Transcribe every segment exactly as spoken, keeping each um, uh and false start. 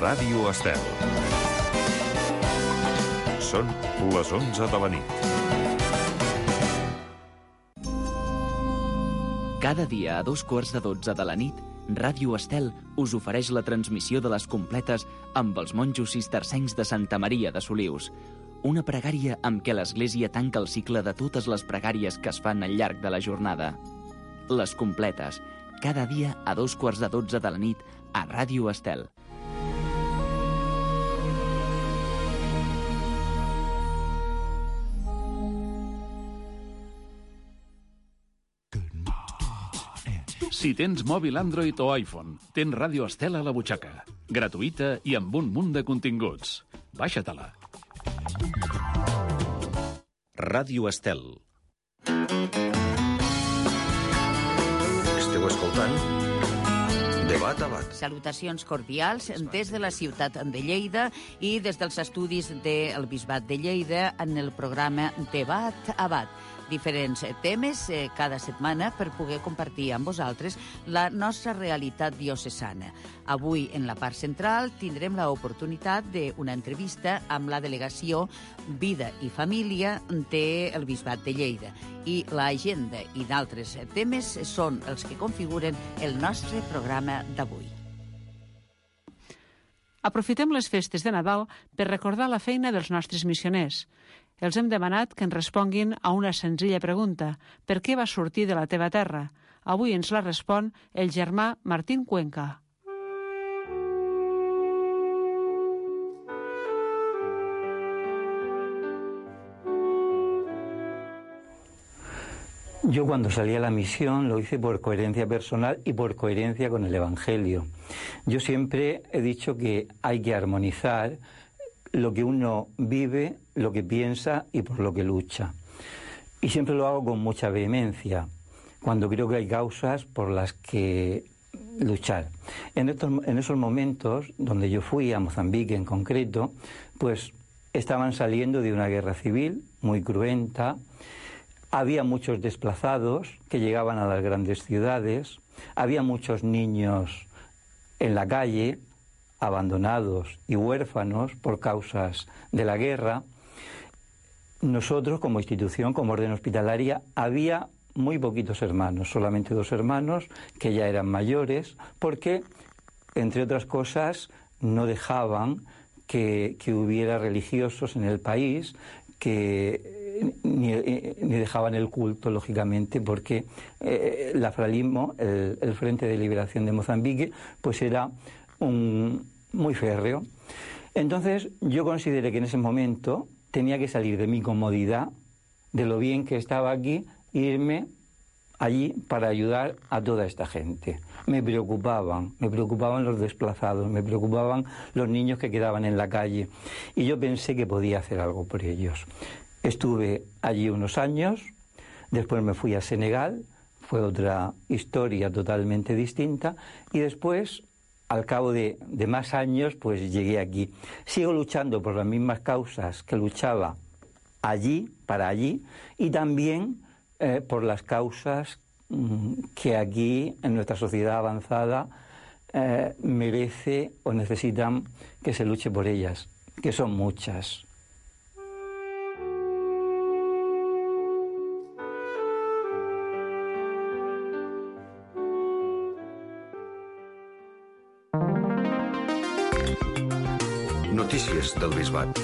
Ràdio Estel. Són les onze de la nit. Cada dia a dos quarts de dotze de la nit, Ràdio Estel us ofereix la transmissió de les completes amb els monjos cistercencs de Santa Maria de Solius. Una pregària amb què l'Església tanca el cicle de totes les pregàries que es fan al llarg de la jornada. Les completes, cada dia a dos quarts de dotze de la nit a Ràdio Estel. Si tens mòbil Android o iPhone, tens Ràdio Estel a la butxaca. Gratuïta i amb un munt de continguts. Baixa-te-la. Ràdio Estel. Esteu escoltant Debat a Bat. Salutacions cordials des de la ciutat de Lleida i des dels estudis del Bisbat de Lleida en el programa Debat a Bat. Diferents temes eh, cada setmana per poder compartir amb vosaltres la nostra realitat diocesana. Avui, en la part central, tindrem l'oportunitat d'una entrevista amb la delegació Vida i Família del Bisbat de Lleida. I l'agenda i d'altres temes són els que configuren el nostre programa d'avui. Aprofitem les festes de Nadal per recordar la feina dels nostres missioners. Els hem demanat que ens responguin a una senzilla pregunta. Per què vas sortir de la teva terra? Avui ens la respon el germà Martín Cuenca. Yo cuando salí a la misión lo hice por coherencia personal y por coherencia con el Evangelio. Yo siempre he dicho que hay que armonizar lo que uno vive, lo que piensa y por lo que lucha. Y siempre lo hago con mucha vehemencia, cuando creo que hay causas por las que luchar. En, estos, en esos momentos, donde yo fui, a Mozambique en concreto, pues estaban saliendo de una guerra civil muy cruenta, había muchos desplazados que llegaban a las grandes ciudades, había muchos niños en la calle, abandonados y huérfanos por causas de la guerra. Nosotros, como institución, como orden hospitalaria, había muy poquitos hermanos, solamente dos hermanos que ya eran mayores, porque, entre otras cosas, no dejaban que, que hubiera religiosos en el país, que ni, ni dejaban el culto, lógicamente, porque eh, el afralismo, el, el Frente de Liberación de Mozambique, pues era un, muy férreo. Entonces yo consideré que en ese momento tenía que salir de mi comodidad, de lo bien que estaba aquí, e irme allí para ayudar a toda esta gente. Me preocupaban, me preocupaban los desplazados, me preocupaban los niños que quedaban en la calle, y yo pensé que podía hacer algo por ellos. Estuve allí unos años, después me fui a Senegal, fue otra historia totalmente distinta, y después, al cabo de, de más años, pues llegué aquí. Sigo luchando por las mismas causas que luchaba allí, para allí, y también eh, por las causas mmm, que aquí, en nuestra sociedad avanzada, eh, merece o necesitan que se luche por ellas, que son muchas. Notícies del Bisbat.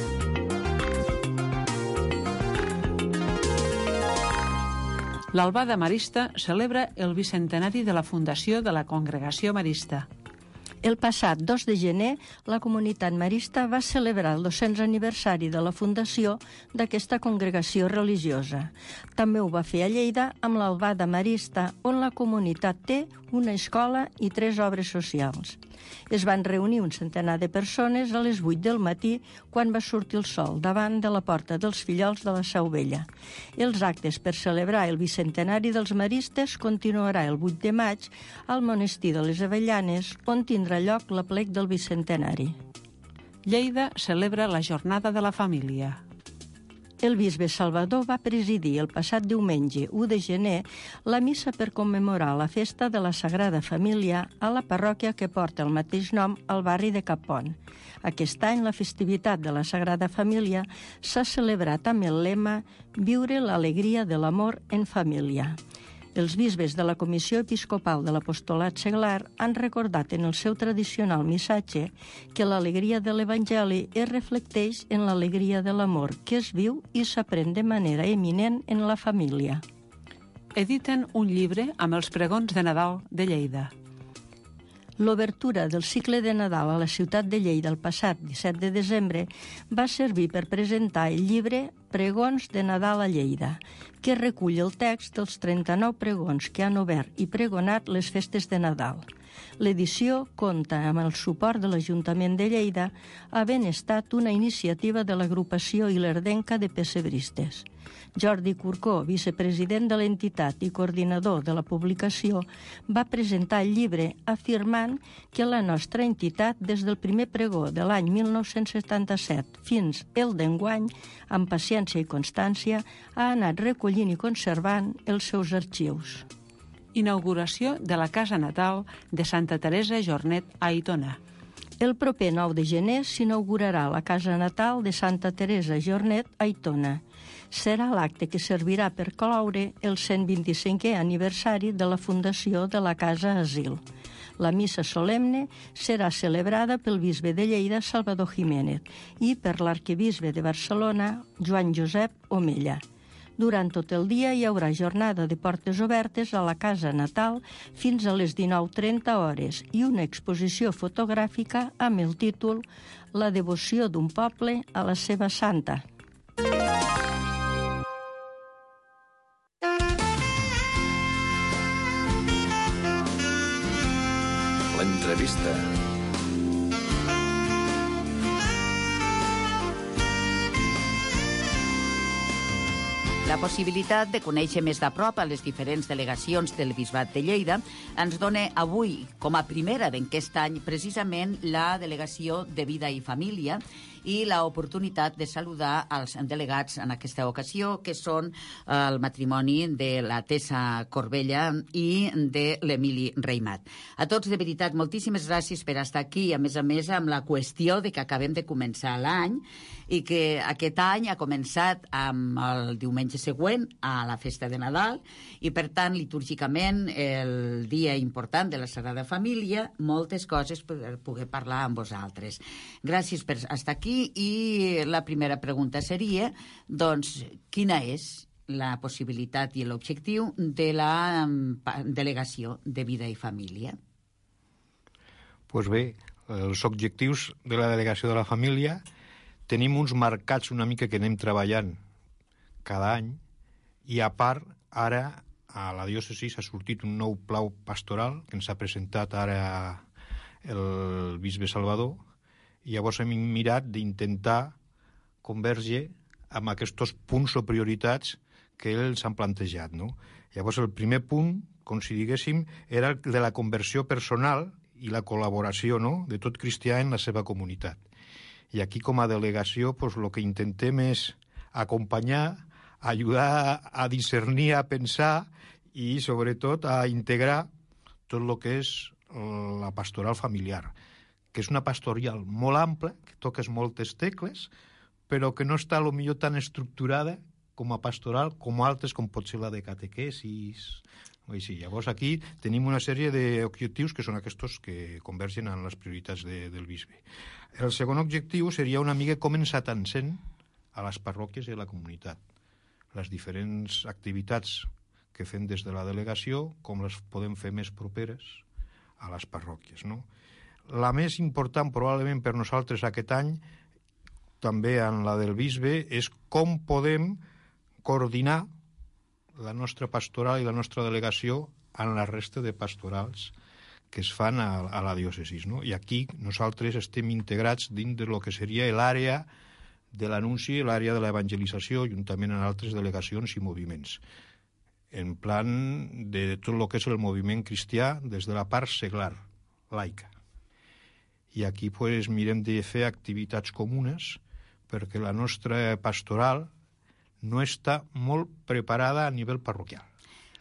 L'Albada Marista celebra el bicentenari de la fundació de la Congregació Marista. El passat dos de gener, la comunitat marista va celebrar el dos-cents aniversari de la fundació d'aquesta congregació religiosa. També ho va fer a Lleida amb l'Albada Marista, on la comunitat té una escola i tres obres socials. Es van reunir un centenar de persones a les vuit del matí quan va sortir el sol davant de la porta dels Fillols de la Seu Vella. Els actes per celebrar el bicentenari dels maristes continuarà el vuit de maig al monestir de les Avellanes, on tindrà lloc l'aplec del bicentenari. Lleida celebra la Jornada de la Família. El bisbe Salvador va presidir el passat diumenge u de gener la missa per commemorar la festa de la Sagrada Família a la parròquia que porta el mateix nom al barri de Capon. Aquest any la festivitat de la Sagrada Família s'ha celebrat amb el lema «Viure l'alegria de l'amor en família». Els bisbes de la Comissió Episcopal de l'Apostolat Seglar han recordat en el seu tradicional missatge que l'alegria de l'Evangeli es reflecteix en l'alegria de l'amor que es viu i s'aprèn de manera eminent en la família. Editen un llibre amb els pregons de Nadal de Lleida. L'obertura del cicle de Nadal a la ciutat de Lleida el passat disset de desembre va servir per presentar el llibre Pregons de Nadal a Lleida, que recull el text dels trenta-nou pregons que han obert i pregonat les festes de Nadal. L'edició compta amb el suport de l'Ajuntament de Lleida, havent estat una iniciativa de l'agrupació ilerdenca de pessebristes. Jordi Corcó, vicepresident de l'entitat i coordinador de la publicació, va presentar el llibre afirmant que la nostra entitat, des del primer pregó de l'any mil nou-cents setanta-set fins el d'enguany, amb paciència i constància, ha anat recollint i conservant els seus arxius. Inauguració de la Casa Natal de Santa Teresa Jornet a Aitona. El proper nou de gener s'inaugurarà la Casa Natal de Santa Teresa Jornet a Aitona. Serà l'acte que servirà per cloure el cent vint-i-cinquè aniversari de la fundació de la Casa Asil. La missa solemne serà celebrada pel bisbe de Lleida, Salvador Jiménez, i per l'arquebisbe de Barcelona, Joan Josep Omella. Durant tot el dia hi haurà jornada de portes obertes a la Casa Natal fins a les dinou trenta hores i una exposició fotogràfica amb el títol La devoció d'un poble a la seva santa. L'entrevista. La possibilitat de conèixer més de prop a les diferents delegacions del Bisbat de Lleida ens dona avui, com a primera d'aquest any, precisament la Delegació de Vida i Família i l'oportunitat de saludar els delegats en aquesta ocasió, que són el matrimoni de la Tessa Corbella i de l'Emili Reimat. A tots, de veritat, moltíssimes gràcies per estar aquí, a més a més amb la qüestió de que acabem de començar l'any i que aquest any ha començat amb el diumenge següent a la festa de Nadal i, per tant, litúrgicament, el dia important de la Sagrada Família, moltes coses per poder parlar amb vosaltres. Gràcies per estar aquí i la primera pregunta seria, doncs, quina és la possibilitat i l'objectiu de la Delegació de Vida i Família? Pues bé, els objectius de la Delegació de la Família tenim uns marcats una mica que anem treballant cada any i, a part, ara a la diòcesi ha sortit un nou pla pastoral que ens ha presentat ara el bisbe Salvador i llavors hem mirat d'intentar converger amb aquests punts o prioritats que ells han plantejat, no? Llavors el primer punt, com si diguéssim, era el de la conversió personal i la col·laboració, no?, de tot cristià en la seva comunitat. I aquí, com a delegació, doncs, el que intentem és acompanyar, ajudar a discernir, a pensar i, sobretot, a integrar tot el que és la pastoral familiar, que és una pastoral molt ampla, que toques moltes tecles, però que no està, potser, tan estructurada com a pastoral com altres, com pot ser la de catequesis. Així. Llavors, aquí tenim una sèrie d'objectius que són aquests que convergen en les prioritats de, del bisbe. El segon objectiu seria una mica com ens atansem a les parròquies i a la comunitat. Les diferents activitats que fem des de la delegació, com les podem fer més properes a les parròquies, no? La més important, probablement, per nosaltres aquest any, també en la del bisbe, és com podem coordinar la nostra pastoral i la nostra delegació en la resta de pastorals que es fan a, a la diòcesi, no? I aquí nosaltres estem integrats dins de lo que seria l'àrea de l'anunci, l'àrea de l'evangelització, juntament amb altres delegacions i moviments, en plan de tot el que és el moviment cristià des de la part seglar, laica. I aquí pues, mirem de fer activitats comunes perquè la nostra pastoral no està molt preparada a nivell parroquial.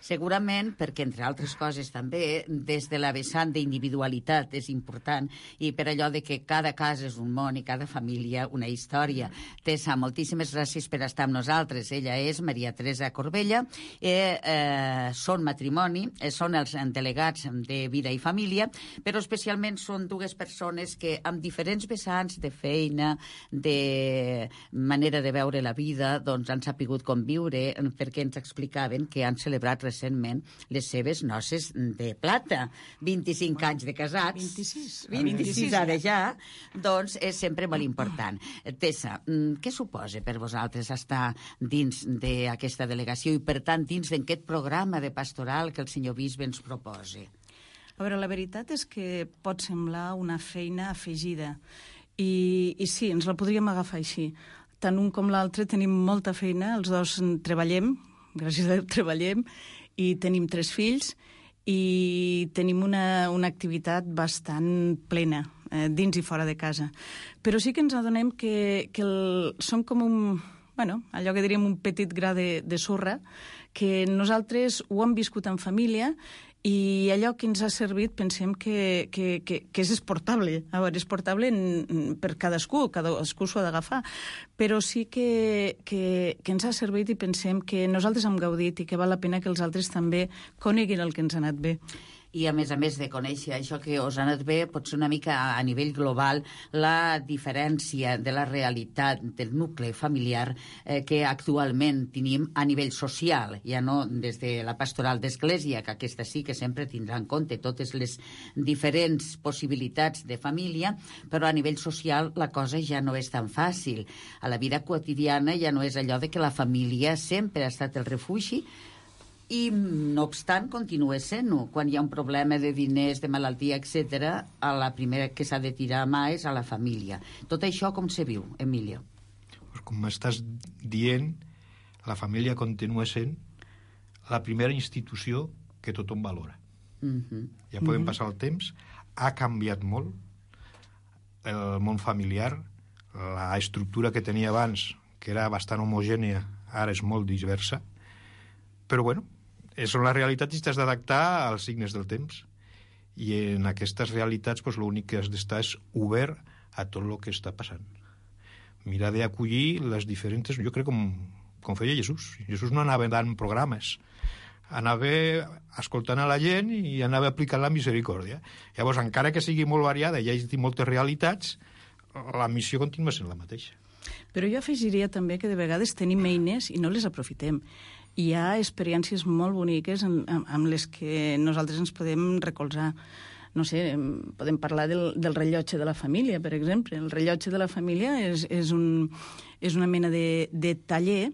Segurament perquè, entre altres coses, també, des de la vessant d'individualitat és important, i per allò de que cada casa és un món i cada família una història. Tessa, moltíssimes gràcies per estar amb nosaltres. Ella és Maria Teresa Corbella, eh, eh, són matrimoni, eh, són els delegats de Vida i Família, però especialment són dues persones que amb diferents vessants de feina, de manera de veure la vida, doncs han sapigut conviure, perquè ens explicaven que han celebrat recentment les seves noces de plata. vint-i-cinc anys de casats. vint-i-sis. vint-i-sis ara ja. Doncs és sempre molt important. Tessa, què suposa per vosaltres estar dins d'aquesta delegació i, per tant, dins d'aquest programa de pastoral que el senyor bisbe ens proposa? A veure, la veritat és que pot semblar una feina afegida. I, i sí, ens la podríem agafar així. Tant un com l'altre tenim molta feina, els dos treballem, gràcies a Déu treballem, i tenim tres fills i tenim una, una activitat bastant plena, eh, dins i fora de casa. Però sí que ens adonem que, que el, som com un, bueno, allò que diríem un petit gra de, de sorra, que nosaltres ho hem viscut en família i allò que ens ha servit pensem que, que, que, que és exportable. A veure, és exportable en, per cadascú, cadascú s'ho ha d'agafar, però sí que, que, que ens ha servit i pensem que nosaltres hem gaudit i que val la pena que els altres també coneguin el que ens ha anat bé. I, a més a més de conèixer això que us ha anat bé, pot ser una mica a nivell global la diferència de la realitat del nucli familiar eh, que actualment tenim a nivell social, ja no des de la pastoral d'església, que aquesta sí que sempre tindrà en compte totes les diferents possibilitats de família, però a nivell social la cosa ja no és tan fàcil. A la vida quotidiana ja no és allò de que la família sempre ha estat el refugi, i, no obstant, continua sent-ho. Quan hi ha un problema de diners, de malaltia, etcètera, a la primera que s'ha de tirar a mà és a la família. Tot això com se viu, Emilio? Pues com m'estàs dient, la família continua sent la primera institució que tothom valora. Uh-huh. Ja podem uh-huh. passar el temps. Ha canviat molt el món familiar. La estructura que tenia abans, que era bastant homogènia, ara és molt diversa. Però, bueno, són les realitats i t'has d'adaptar als signes del temps. I en aquestes realitats pues, l'únic que has d'estar és obert a tot el que està passant. Mirar d'acollir les diferents... Jo crec com, com feia Jesús. Jesús no anava dant programes. Anava escoltant a la gent i anava aplicant la misericòrdia. Llavors, encara que sigui molt variada i hi hagi moltes realitats, la missió continua sent la mateixa. Però jo afegiria també que de vegades tenim eines i no les aprofitem. Hi ha experiències molt boniques amb, amb les que nosaltres ens podem recolzar. No sé, podem parlar del, del rellotge de la família, per exemple. El rellotge de la família és, és, un, és una mena de, de taller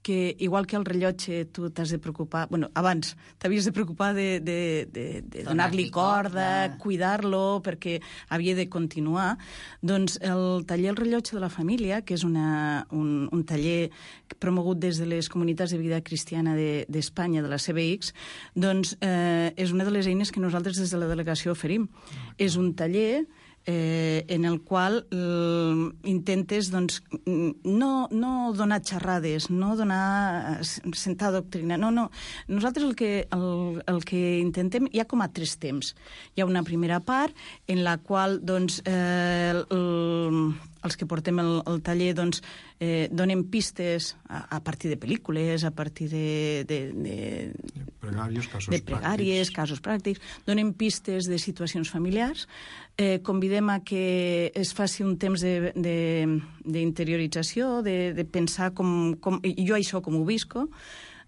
que, igual que el rellotge, tu t'has de preocupar... Bueno, abans t'havies de preocupar de, de, de, de donar-li corda, cuidar-lo, perquè havia de continuar. Doncs el taller El rellotge de la família, que és una, un, un taller promogut des de les comunitats de vida cristiana d'Espanya, de, de la C B X, doncs eh, és una de les eines que nosaltres des de la delegació oferim. És un taller... Eh, en el qual eh, intentes doncs, no, no donar xerrades, no donar sentar doctrina, no, no. Nosaltres el que, el, el que intentem, hi ha com a tres temps. Hi ha una primera part en la qual doncs, eh, el, els que portem el, el taller doncs, eh, donem pistes a, a partir de pel·lícules, a partir de... de, de, de pregàries, casos de pregàries, pràctics. casos pràctics. Donem pistes de situacions familiars. Eh, convidem a que es faci un temps d'interiorització, de, de, de pensar com, com... Jo això com ho visco.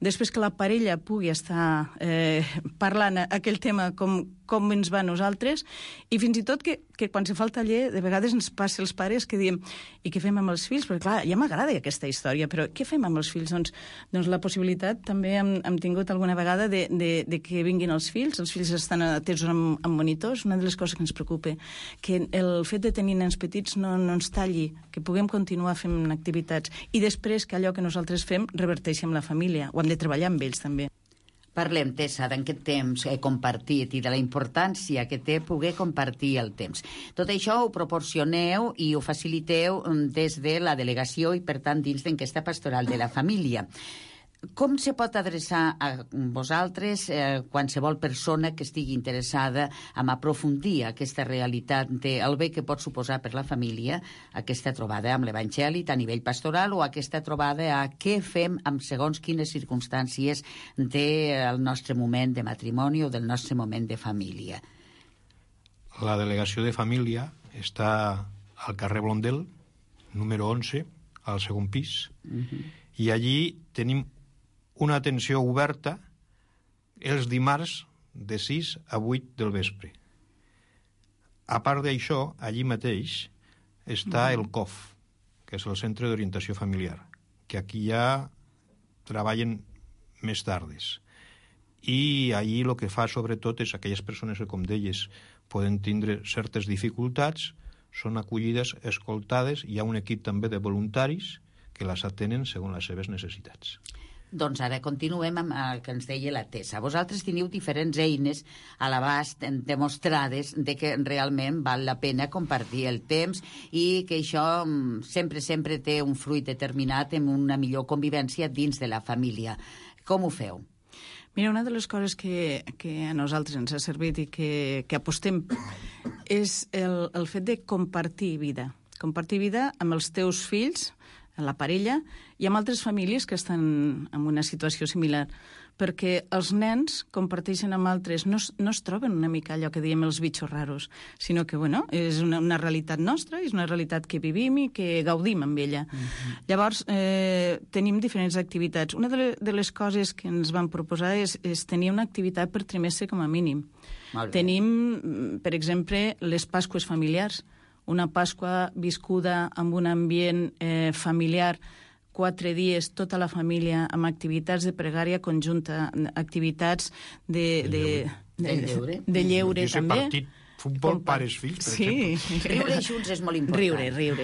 Després que la parella pugui estar eh, parlant aquell tema com, com ens va a nosaltres, i fins i tot que, que quan se fa el taller de vegades ens passa els pares que diem i què fem amb els fills? Perquè clar, ja m'agrada aquesta història, però què fem amb els fills? Doncs, doncs la possibilitat també hem, hem tingut alguna vegada de, de, de que vinguin els fills, els fills estan atesos amb, amb monitors, una de les coses que ens preocupa, que el fet de tenir nens petits no, no ens talli, que puguem continuar fent activitats i després que allò que nosaltres fem reverteixi amb la família, ho hem de treballar amb ells també. Parlem, Tessa, d'aquest temps eh, compartit i de la importància que té poder compartir el temps. Tot això ho proporcioneu i ho faciliteu des de la delegació i, per tant, dins d'enquesta pastoral de la família. Com se pot adreçar a vosaltres eh, qualsevol persona que estigui interessada en aprofundir aquesta realitat del bé que pot suposar per la família aquesta trobada amb l'Evangeli a nivell pastoral o aquesta trobada a què fem amb segons quines circumstàncies del nostre moment de matrimoni o del nostre moment de família? La delegació de família està al carrer Blondel, número onze, al segon pis, uh-huh. i allí tenim una atenció oberta els dimarts de sis a vuit del vespre. A part d'això, allí mateix està el C O F, que és el Centre d'Orientació Familiar, que aquí ja treballen més tardes. I allí el que fa sobretot és aquelles persones que, com deies, poden tindre certes dificultats, són acollides, escoltades, hi ha un equip també de voluntaris que les atenen segons les seves necessitats. Doncs ara continuem amb el que ens deia la Tessa. Vosaltres teniu diferents eines a l'abast demostrades de que realment val la pena compartir el temps i que això sempre, sempre té un fruit determinat en una millor convivència dins de la família. Com ho feu? Mira, una de les coses que, que a nosaltres ens ha servit i que, que apostem és el, el fet de compartir vida. Compartir vida amb els teus fills, la parella, i amb altres famílies que estan en una situació similar, perquè els nens comparteixen amb altres, no, no es troben una mica allò que diem els bitxos raros, sinó que, bueno, és una, una realitat nostra, és una realitat que vivim i que gaudim amb ella. Uh-huh. Llavors, eh, tenim diferents activitats. Una de, le, de les coses que ens van proposar és, és tenir una activitat per trimestre com a mínim. Tenim, per exemple, les Pasques familiars, una Pasqua viscuda amb un ambient eh, familiar, quatre dies, tota la família, amb activitats de pregària conjunta, activitats de, de, de, de lleure, de lleure també. Partit futbol, pares, fills, per sí. exemple. Riure junts és molt important. Riure, riure.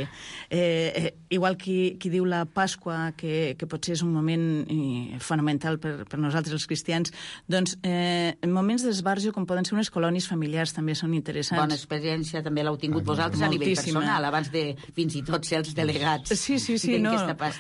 Eh, eh, igual qui, qui diu la Pasqua, que, que potser és un moment eh, fonamental per, per nosaltres els cristians, doncs eh, en moments d'esbarjo, com poden ser unes colònies familiars, també són interessants. Bona experiència, també l'heu tingut ah, vosaltres a nivell personal, abans de fins i tot ser els delegats. Sí, sí, sí, no.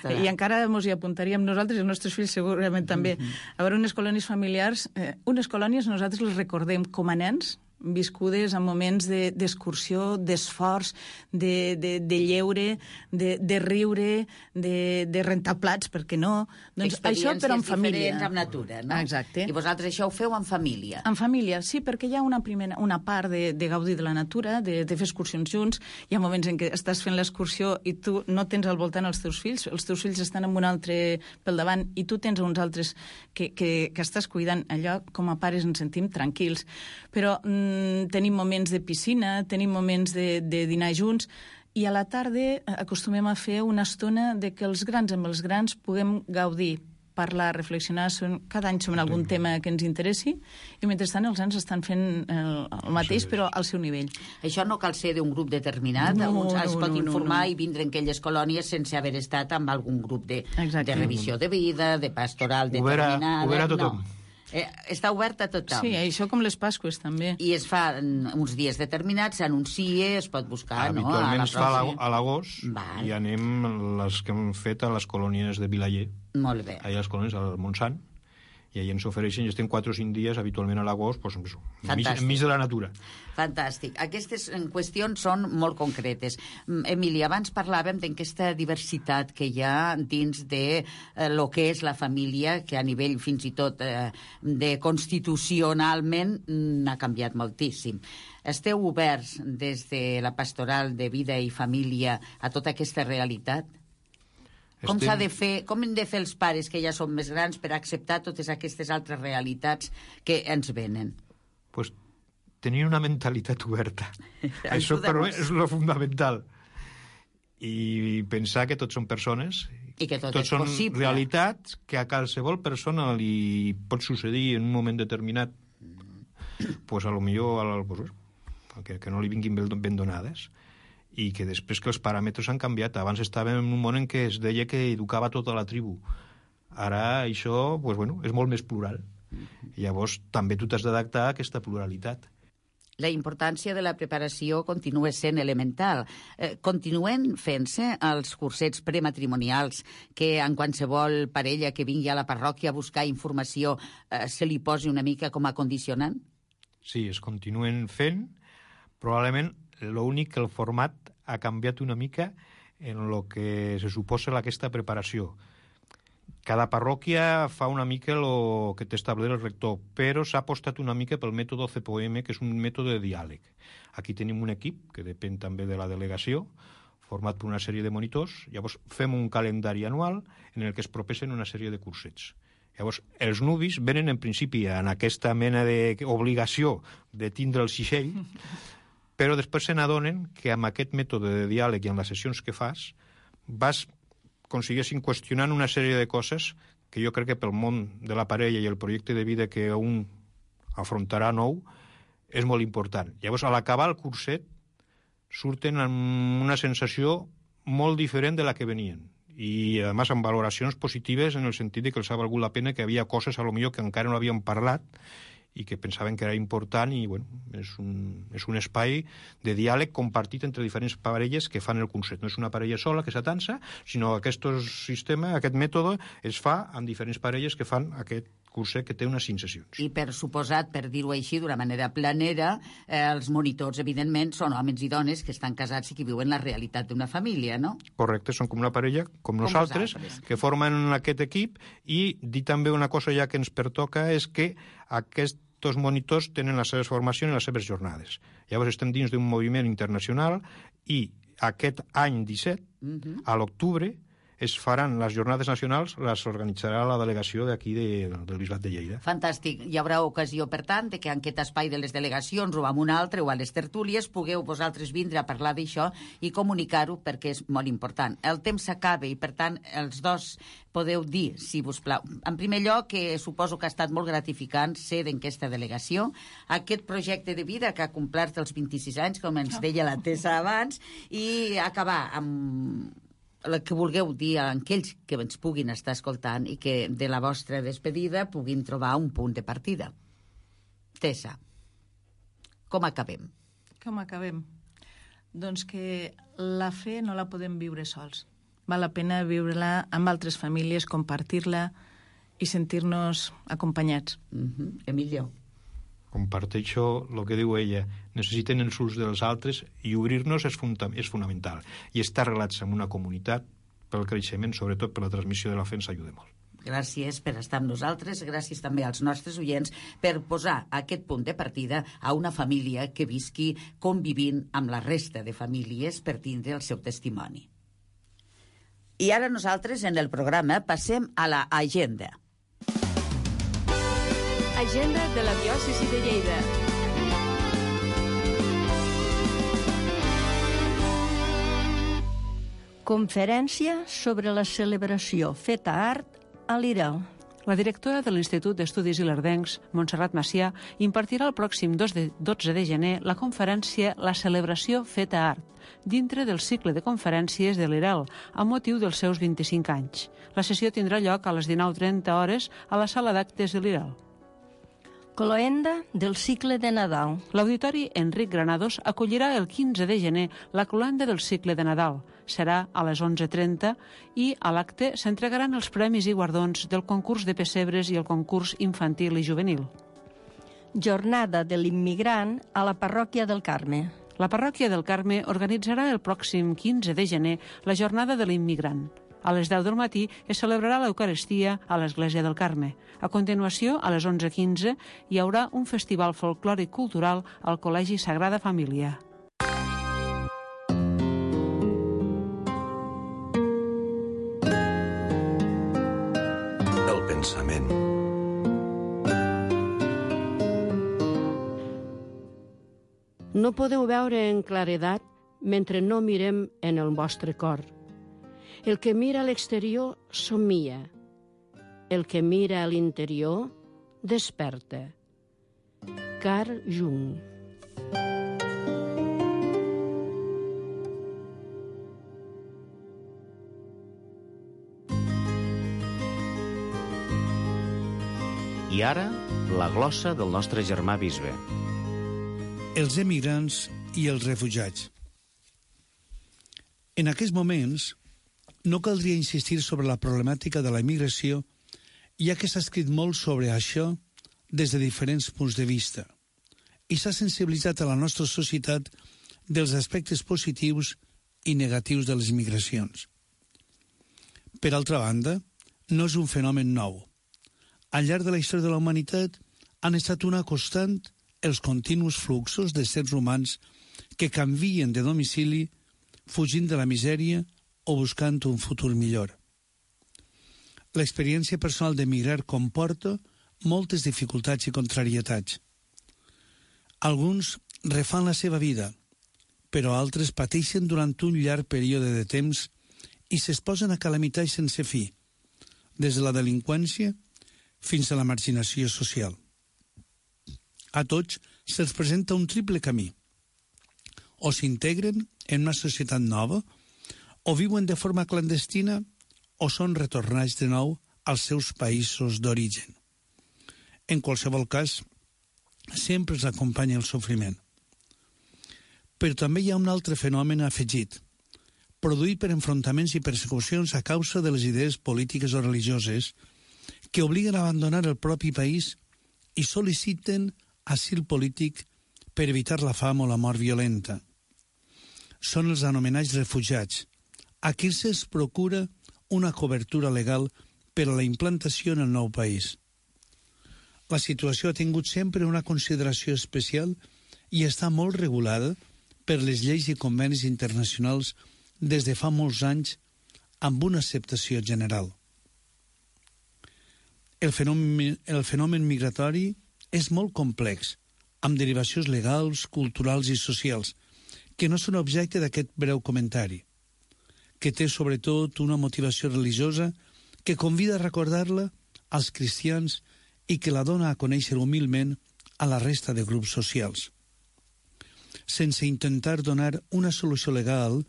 I encara ens hi apuntaríem nosaltres, els nostres fills segurament també. Mm-hmm. A veure, unes colònies familiars, eh, unes colònies nosaltres les recordem com a nens, viscudes en moments d'excursió, de, d'esforç, de, de, de lleure, de, de riure, de, de rentar plats, per què no? Doncs això, però en família. Experiències diferents amb natura, no? Exacte. I vosaltres això ho feu en família? En família, sí, perquè hi ha una, primera, una part de, de gaudir de la natura, de, de fer excursions junts. Hi ha moments en què estàs fent l'excursió i tu no tens al voltant els teus fills, els teus fills estan amb un altre pel davant i tu tens uns altres que, que, que estàs cuidant. Allò, com a pares, ens sentim tranquils. Però tenim moments de piscina, tenim moments de, de dinar junts, i a la tarda acostumem a fer una estona de que els grans amb els grans puguem gaudir, parlar, reflexionar cada any sobre algun tema que ens interessi, i mentrestant els nens estan fent el, el mateix, però al seu nivell. Això no cal ser d'un grup determinat, no, no, es pot no, informar no, no. i vindre en aquelles colònies sense haver estat amb algun grup de, de revisió de vida, de pastoral determinada. Ho verà tothom. No. Eh, està obert a tothom. Sí, això com les Pasques, també. I es fa uns dies determinats, s'anuncia, es pot buscar, no? Habitualment es fa a l'agost i anem les que hem fet a les colònies de Vilaller. Molt bé. Allà a les colònies al Montsant. I allà ens ofereixen, i estem quatre o cinc dies, habitualment a l'agost, doncs, enmig, enmig de la natura. Fantàstic. Aquestes qüestions són molt concretes. Emília, abans parlàvem d'aquesta diversitat que hi ha dins de eh, lo que és la família, que a nivell fins i tot eh, de constitucionalment n'ha canviat moltíssim. Esteu oberts des de la pastoral de vida i família a tota aquesta realitat? Com s'ha de fer, com hem de fer els pares que ja són més grans per acceptar totes aquestes altres realitats que ens venen? Pues tenir una mentalitat oberta. Això però és lo fundamental. I pensar que tots són persones, i que tot tots és són possible. Realitats que a qualsevol persona li pot succeir en un moment determinat, pues a lo millor pues, que, que no li vinguin ben donades, i que després que els paràmetres han canviat. Abans estàvem en un món en què es deia que educava tota la tribu. Ara això pues, bueno, és molt més plural. I llavors també tu t'has d'adaptar a aquesta pluralitat. La importància de la preparació continua sent elemental. Eh, continuen fent-se els cursets prematrimonials que en qualsevol parella que vingui a la parròquia a buscar informació eh, se li posi una mica com a condicionant? Sí, es continuen fent. Probablement l'únic que el format ha canviat una mica en el que se suposa aquesta preparació. Cada parròquia fa una mica el que t'estableix el rector, però s'ha apostat una mica pel mètode C P O M, que és un mètode de diàleg. Aquí tenim un equip, que depèn també de la delegació, format per una sèrie de monitors. Llavors fem un calendari anual en el que es proposen una sèrie de cursets. Llavors, els nuvis venen en principi en aquesta mena d'obligació de tindre el xixell, però després se n'adonen que amb aquest mètode de diàleg i en les sessions que fas vas aconseguissin qüestionant una sèrie de coses que jo crec que pel món de la parella i el projecte de vida que un afrontarà nou és molt important. Llavors, a l'acabar el curset, surten amb una sensació molt diferent de la que venien. I, a més, amb valoracions positives en el sentit de que els ha valgut la pena, que havia coses, a lo millor, que encara no havíem parlat i que pensaven que era important i, bueno, és un, és un espai de diàleg compartit entre diferents parelles que fan el curset. No és una parella sola que s'atansa, sinó que aquest sistema, aquest mètode, es fa amb diferents parelles que fan aquest curset que té unes cinc sessions. I per suposat, per dir-ho així, d'una manera planera, eh, els monitors, evidentment, són homes i dones que estan casats i que viuen la realitat d'una família, no? Correcte, són com una parella, com, com nosaltres, nosaltres, que formen aquest equip, i dir també una cosa ja que ens pertoca és que aquests monitors tenen les seves formacions i les seves jornades. Llavors estem dins d'un moviment internacional i aquest any disset, uh-huh. a l'octubre, es faran les jornades nacionals, les organitzarà la delegació d'aquí de, del Bisbat de Lleida. Fantàstic. Hi haurà ocasió, per tant, de que en aquest espai de les delegacions o en un altre o a les tertúlies pugueu vosaltres vindre a parlar d'això i comunicar-ho perquè és molt important. El temps s'acaba i, per tant, els dos podeu dir, si us plau. En primer lloc, que suposo que ha estat molt gratificant ser d'aquesta delegació, aquest projecte de vida que ha complert els vint-i-sis anys, com ens deia la Tessa abans, i acabar amb el que vulgueu dir a aquells que ens puguin estar escoltant i que de la vostra despedida puguin trobar un punt de partida. Tessa, com acabem? Com acabem? Doncs que la fe no la podem viure sols. Val la pena viure-la amb altres famílies, compartir-la i sentir-nos acompanyats. Uh-huh. Emilio. Comparteixo el que diu ella. Necessiten els uns dels altres i obrir-nos és, funda és fonamental. I estar relats en una comunitat pel creixement, sobretot per la transmissió de la fe, ens ajuda molt. Gràcies per estar amb nosaltres, gràcies també als nostres oients per posar aquest punt de partida a una família que visqui convivint amb la resta de famílies per tindre el seu testimoni. I ara nosaltres en el programa passem a la agenda. Agenda de la diòcesi de Lleida. Conferència sobre la celebració Feta Art a l'Irel. La directora de l'Institut d'Estudis Ilerdencs, Montserrat Macià, impartirà el pròxim dotze de gener la conferència La celebració Feta Art, dintre del cicle de conferències de l'Irel, amb motiu dels seus vint-i-cinc anys. La sessió tindrà lloc a les dinou trenta hores a la sala d'actes de l'Irel. Cloenda del cicle de Nadal. L'Auditori Enric Granados acollirà el quinze de gener la cloenda del cicle de Nadal. Serà a les onze trenta i a l'acte s'entregaran els premis i guardons del concurs de pessebres i el concurs infantil i juvenil. Jornada de l'immigrant a la parròquia del Carme. La parròquia del Carme organitzarà el pròxim quinze de gener la jornada de l'immigrant. A les deu del matí es celebrarà l'Eucaristia a l'Església del Carme. A continuació, a les onze quinze, hi haurà un festival folclòric cultural al Col·legi Sagrada Família. El pensament. No podeu veure en claredat mentre no mirem en el vostre cor. El que mira a l'exterior somia. El que mira a l'interior desperta. Carl Jung. I ara, la glossa del nostre germà bisbe. Els emigrants i els refugiats. En aquests moments, no caldria insistir sobre la problemàtica de la immigració, ja que s'ha escrit molt sobre això des de diferents punts de vista, i s'ha sensibilitzat a la nostra societat dels aspectes positius i negatius de les migracions. Per altra banda, no és un fenomen nou. Al llarg de la història de la humanitat han estat una constant els continus fluxos de sers humans que canvien de domicili fugint de la misèria o buscant un futur millor. L'experiència personal d'emigrar comporta moltes dificultats i contrarietats. Alguns refan la seva vida, però altres pateixen durant un llarg període de temps i s'exposen a calamitats sense fi, des de la delinqüència fins a la marginació social. A tots se'ls presenta un triple camí. O s'integren en una societat nova, o viuen de forma clandestina, o són retornats de nou als seus països d'origen. En qualsevol cas, sempre els acompanya el sofriment. Però també hi ha un altre fenomen afegit, produït per enfrontaments i persecucions a causa de les idees polítiques o religioses que obliguen a abandonar el propi país i sol·liciten asil polític per evitar la fam o la mort violenta. Són els anomenats refugiats. A qui se'ls procura una cobertura legal per a la implantació en el nou país. La situació ha tingut sempre una consideració especial i està molt regulada per les lleis i convenis internacionals des de fa molts anys amb una acceptació general. El fenomen, el fenomen migratori és molt complex, amb derivacions legals, culturals i socials, que no són objecte d'aquest breu comentari, que té sobretot una motivació religiosa que convida a recordar-la als cristians i que la dona a conèixer humilment a la resta de grups socials. Sense intentar donar una solució legal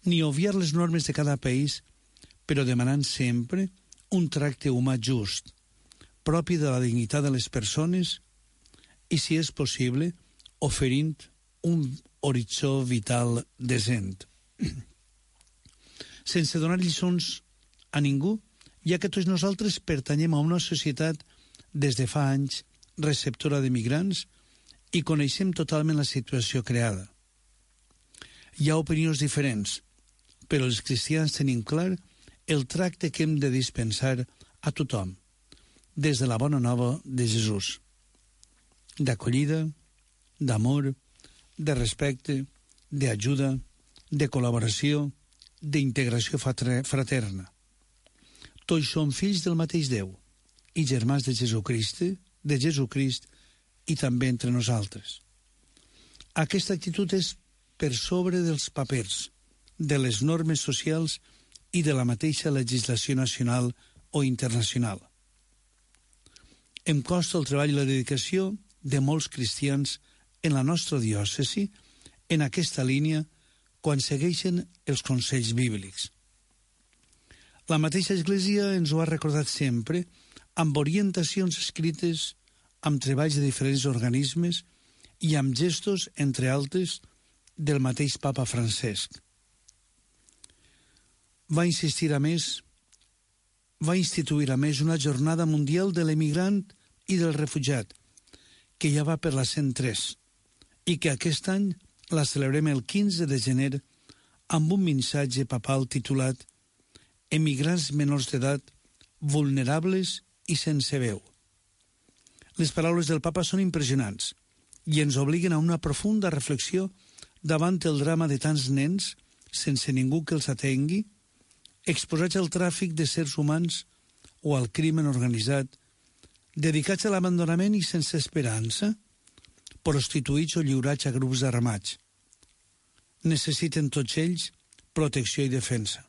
ni obviar les normes de cada país, però demanant sempre un tracte humà just, propi de la dignitat de les persones i, si és possible, oferint un horitzó vital decent. Sense donar lliçons a ningú, ja que tots nosaltres pertanyem a una societat des de fa anys receptora de migrants i coneixem totalment la situació creada. Hi ha opinions diferents, però els cristians tenim clar el tracte que hem de dispensar a tothom, des de la bona nova de Jesús, d'acollida, d'amor, de respecte, d'ajuda, de col·laboració, d'integració fraterna. Tots som fills del mateix Déu i germans de Jesucrist, de Jesucrist i també entre nosaltres. Aquesta actitud és per sobre dels papers, de les normes socials i de la mateixa legislació nacional o internacional. Em costa el treball i la dedicació de molts cristians en la nostra diòcesi en aquesta línia quan segueixen els consells bíblics. La mateixa Església ens ho ha recordat sempre amb orientacions escrites, amb treballs de diferents organismes i amb gestos, entre altres, del mateix papa Francesc. Va insistir a més va instituir a més una jornada mundial de l'emigrant i del refugiat, que ja va per la cent tres, i que aquest any la celebrem el quinze de gener amb un missatge papal titulat Emigrants menors d'edat, vulnerables i sense veu. Les paraules del papa són impressionants i ens obliguen a una profunda reflexió davant el drama de tants nens, sense ningú que els atengui, exposats al tràfic de sers humans o al crimen organitzat, dedicats a l'abandonament i sense esperança, prostituïts o lliurats a grups armats. Necessiten tots ells protecció i defensa.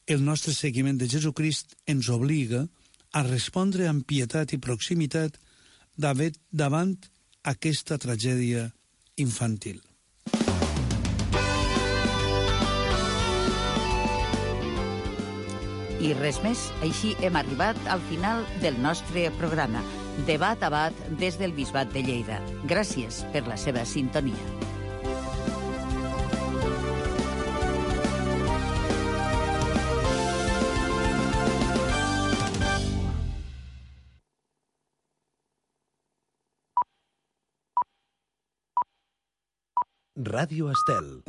El nostre seguiment de Jesucrist ens obliga a respondre amb pietat i proximitat davant aquesta tragèdia infantil. I res més, així hem arribat al final del nostre programa. Debat a Bat des del Bisbat de Lleida. Gràcies per la seva sintonia. Ràdio Estel.